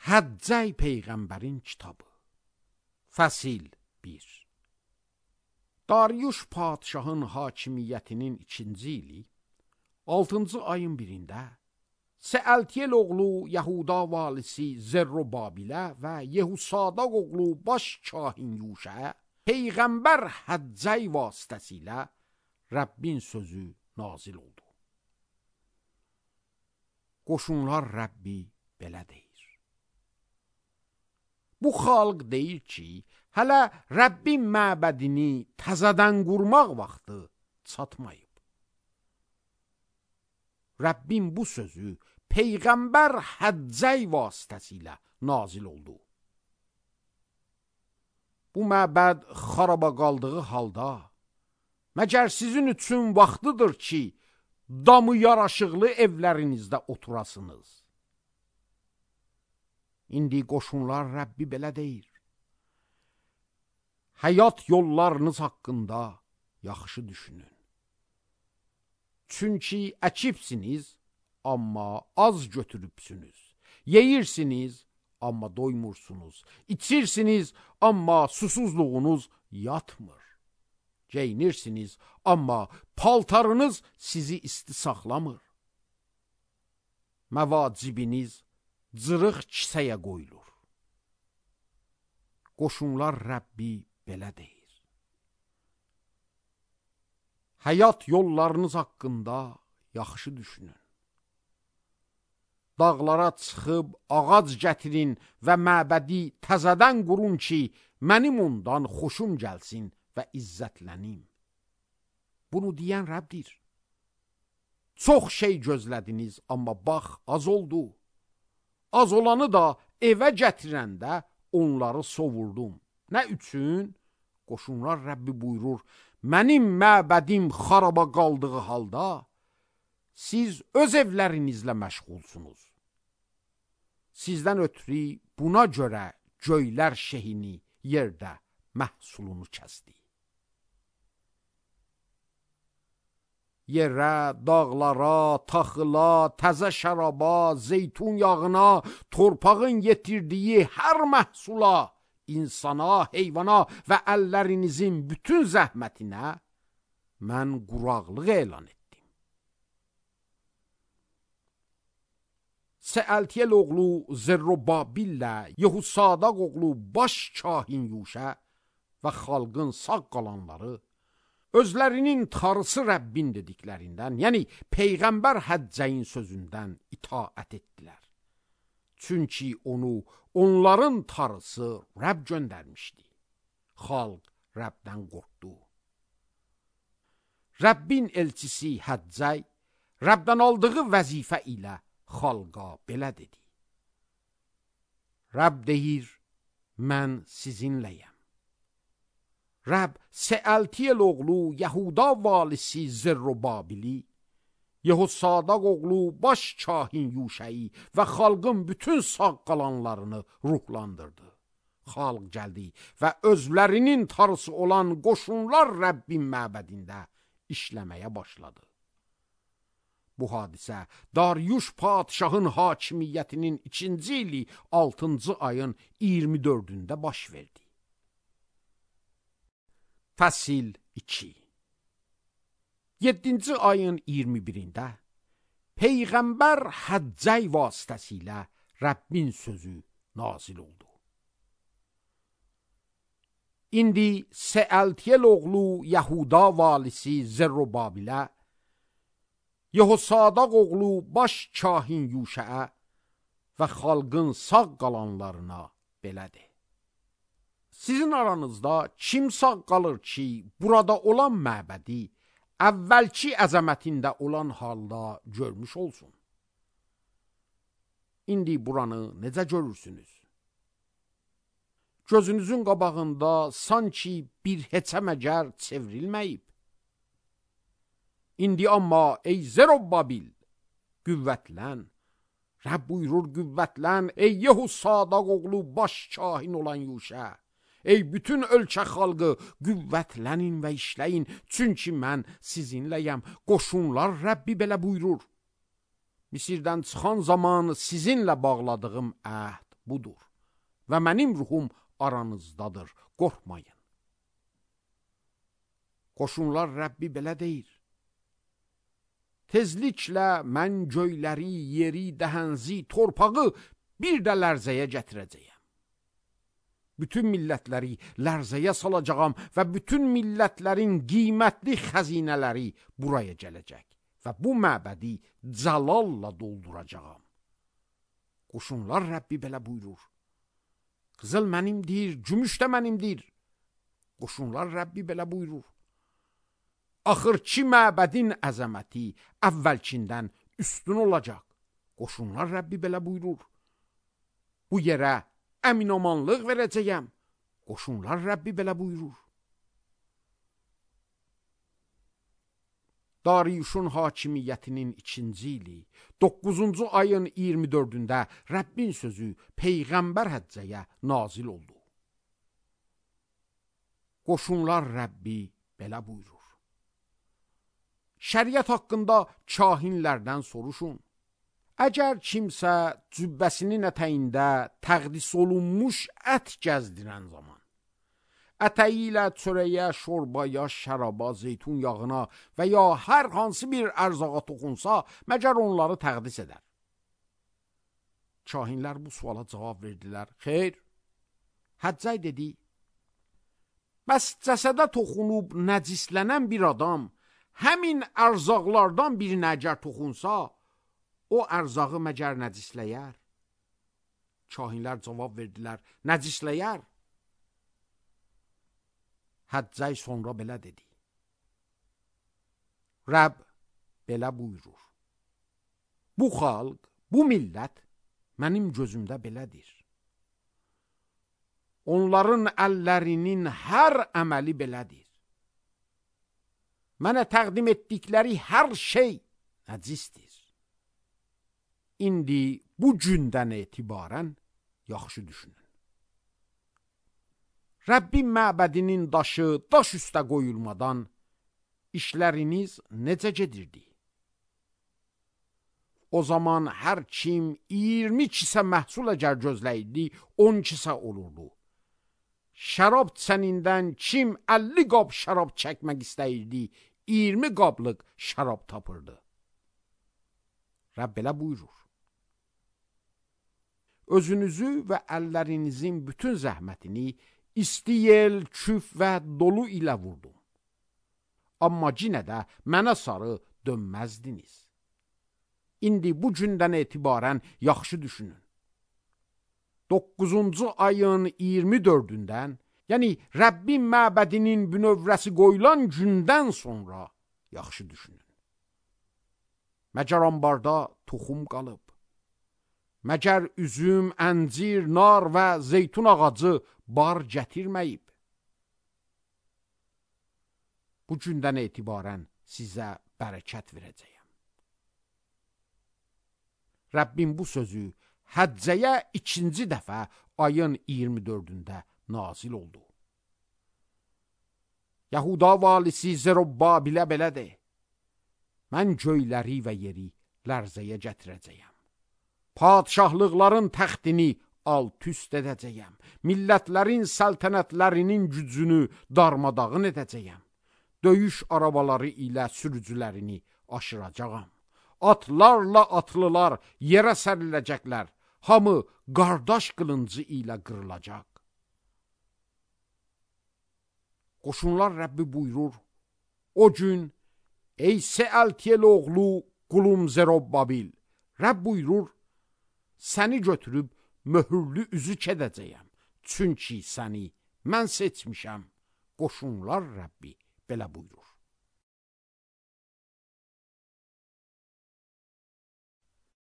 Həccəy Peyğəmbərin kitabı. Fəsil 1. Dariuş padşahın hakimiyyətinin 2-ci ili 6-cı ayın 1-də Seəltiyel oğlu Yahuda valisi Zerrubabilə və Yehusadaq oğlu baş kahin Yuşə Peyğəmbər Həccəy vasitəsilə Rəbbin sözü nazil oldu. Qoşunlar Rəbbi belə deyir. Bu xalq deyir ki, hələ Rəbbin məbədini təzədən qurmaq vaxtı çatmayıb. Rəbbin bu sözü Peyğəmbər Həccəy vasitəsilə nazil oldu. Bu məbəd xaraba qaldığı halda, məgər sizin üçün vaxtıdır ki, damı yaraşıqlı evlərinizdə oturasınız. İndi qoşunlar Rəbbi belə deyir. Həyat yollarınız haqqında yaxşı düşünün. Çünki əkibsiniz, amma az götürübsünüz. Yeyirsiniz, amma doymursunuz. İçirsiniz, amma susuzluğunuz yatmır. Geyinirsiniz, amma paltarınız sizi isti saxlamır. Məvacibiniz cırıq kisəyə qoyulur. Qoşunlar Rəbbi belə deyir. Həyat yollarınız haqqında yaxşı düşünün. Dağlara çıxıb ağac gətirin və məbədi təzədən qurun ki, mənim ondan xoşum gəlsin və izzətlənim. Bunu deyən Rəbdir. Çox şey gözlədiniz, amma bax, az oldu. Az olanı da evə gətirəndə onları sovurdum. Nə üçün? Qoşunlar Rəbbi buyurur, mənim məbədim xaraba qaldığı halda, siz öz evlərinizlə məşğulsunuz. Sizdən ötürü buna görə göylər şehini yerdə məhsulunu kəsdi. Yerə, dağlara, taxıla, təzə şəraba, zeytun yağına, torpağın yetirdiyi hər məhsula, insana, heyvana və əllərinizin bütün zəhmətinə mən quraqlıq elan etdim. Seəltiyel oğlu Zerrubabillə Yehusadaq oğlu baş kahin Yuşə və xalqın sağ qalanları özlərinin tarısı Rəbbin dediklərindən, yəni Peyğəmbər Həccəyin sözündən itaət etdilər. Çünki onu onların tarısı Rəbb göndərmişdi. Xalq Rəbdən qorxdu. Rəbbin elçisi Həccəy Rəbdən aldığı vəzifə ilə xalqa belə dedi. Rəbb deyir, mən sizinləyəm. Rəbb Seəltiyel oğlu Yahuda valisi Zerrubabili, Yehusadaq oğlu baş kahin Yuşəyi və xalqın bütün sağ qalanlarını ruhlandırdı. Xalq gəldi və özlərinin tarısı olan qoşunlar Rəbbin məbədində işləməyə başladı. Bu hadisə Dariuş padşahın hakimiyyətinin 2-ci ili 6-cı ayın 24-də baş verdi. Fəsil 2. 7-ci ayın 21-də Peyğəmbər Həccəy vasitəsilə Rəbbin sözü nazil oldu. İndi Seəltiyel oğlu Yahuda valisi Zerrubabilə, Yehusadaq oğlu baş kahin Yuşəə və xalqın sağ qalanlarına belədir. Sizin aranızda kim sağ qalır ki, burada olan məbədi əvvəlki əzəmətində olan halda görmüş olsun? İndi buranı necə görürsünüz? Gözünüzün qabağında sanki bir heçə məgər çevrilməyib. İndi amma ey Zerrubabil, qüvvətlən. Rəbb buyurur, qüvvətlən, ey Yehusadaq oğlu baş kahin olan Yuşə. Ey bütün ölkə xalqı, qüvvətlənin və işləyin, çünki mən sizinləyəm. Qoşunlar Rəbbi belə buyurur. Misirdən çıxan zaman sizinlə bağladığım əhd budur. Və mənim ruhum aranızdadır, qorxmayın. Qoşunlar Rəbbi belə deyir: tezliklə mən göyləri, yeri, dəhənzi, torpağı bir də lərzəyə gətirəcəyəm. Bütün millətləri lərzəyə salacağam və bütün millətlərin qiymətli xəzinələri buraya gələcək və bu məbədi cəlalla dolduracağam. Qoşunlar Rəbbi belə buyurur: qızıl mənimdir, gümüş də mənimdir. Qoşunlar Rəbbi belə buyurur: axırki məbədin əzəməti əvvəlkindən üstün olacaq. Qoşunlar Rəbbi belə buyurur: bu yerə əminamanlıq verəcəyəm. Qoşunlar Rəbbi belə buyurur. Dariyuşun hakimiyyətinin 2-ci ili 9-cu ayın 24-də Rəbbin sözü Peyğəmbər Həccəyə nazil oldu. Qoşunlar Rəbbi belə buyurur: şəriət haqqında kahinlərdən soruşun. Əgər kimsə cübbəsinin ətəyində təqdis olunmuş ət gəzdirən zaman, ətəyi ilə çörəyə, şorbaya, şəraba, zeytun yağına və ya hər hansı bir ərzağa toxunsa, məgər onları təqdis edər. Kahinlər bu suala cavab verdilər: xeyr. Həccəy dedi: bəs cəsədə toxunub nəcislənən bir adam həmin ərzaqlardan birinə əgər toxunsa, o ərzağı məgər nəcisləyər? Kahinlər cavab verdilər: nəcisləyər. Həccəy sonra belə dedi: Rəbb belə buyurur: bu xalq, bu millət mənim gözümdə belədir. Onların əllərinin hər əməli belədir. Mənə təqdim etdikləri hər şey nəcisdir. İndi bu gündən etibarən yaxşı düşünün. Rəbbin məbədinin daşı daş üstə qoyulmadan işləriniz necə gedirdi? O zaman hər kim 20 kisə məhsul əgər gözləyirdi, 10 kisə olurdu. Şərab çənindən kim 50 qab şərab çəkmək istəyirdi, 20 qablıq şərab tapırdı. Rəbb belə buyurur: özünüzü və əllərinizin bütün zəhmətini isti yel, küf və dolu ilə vurdum. Amma yenə də mənə sarı dönməzdiniz. İndi bu gündən etibarən yaxşı düşünün. 9-cu ayın 24-dən, yəni Rəbbin məbədinin bünövrəsi qoyulan gündən sonra yaxşı düşünün. Məgər ambarda toxum qalıb? Məgər üzüm, əncir, nar və zeytun ağacı bar gətirməyib? Bu gündən etibarən sizə bərəkət verəcəyəm. Rəbbin bu sözü Həccəyə 2-ci dəfə ayın 24-də nazil oldu. Yahuda valisi Zerubbabilə belə de: mən göyləri və yeri lərzəyə gətirəcəyəm. Padşahlıqların təxtini alt-üst edəcəyəm. Millətlərin səltənətlərinin gücünü darmadağın edəcəyəm. Döyüş arabaları ilə sürücülərini aşıracağam. Atlarla atlılar yerə səriləcəklər. Hamı qardaş qılıncı ilə qırılacaq. Qoşunlar Rəbbi buyurur: o gün, ey Sealtiyel oğlu qulum Zerubbabil, Rəbb buyurur: səni götürüb möhürlü üzük edəcəyəm. Çünki səni mən seçmişəm. Qoşunlar Rəbbi belə buyurur.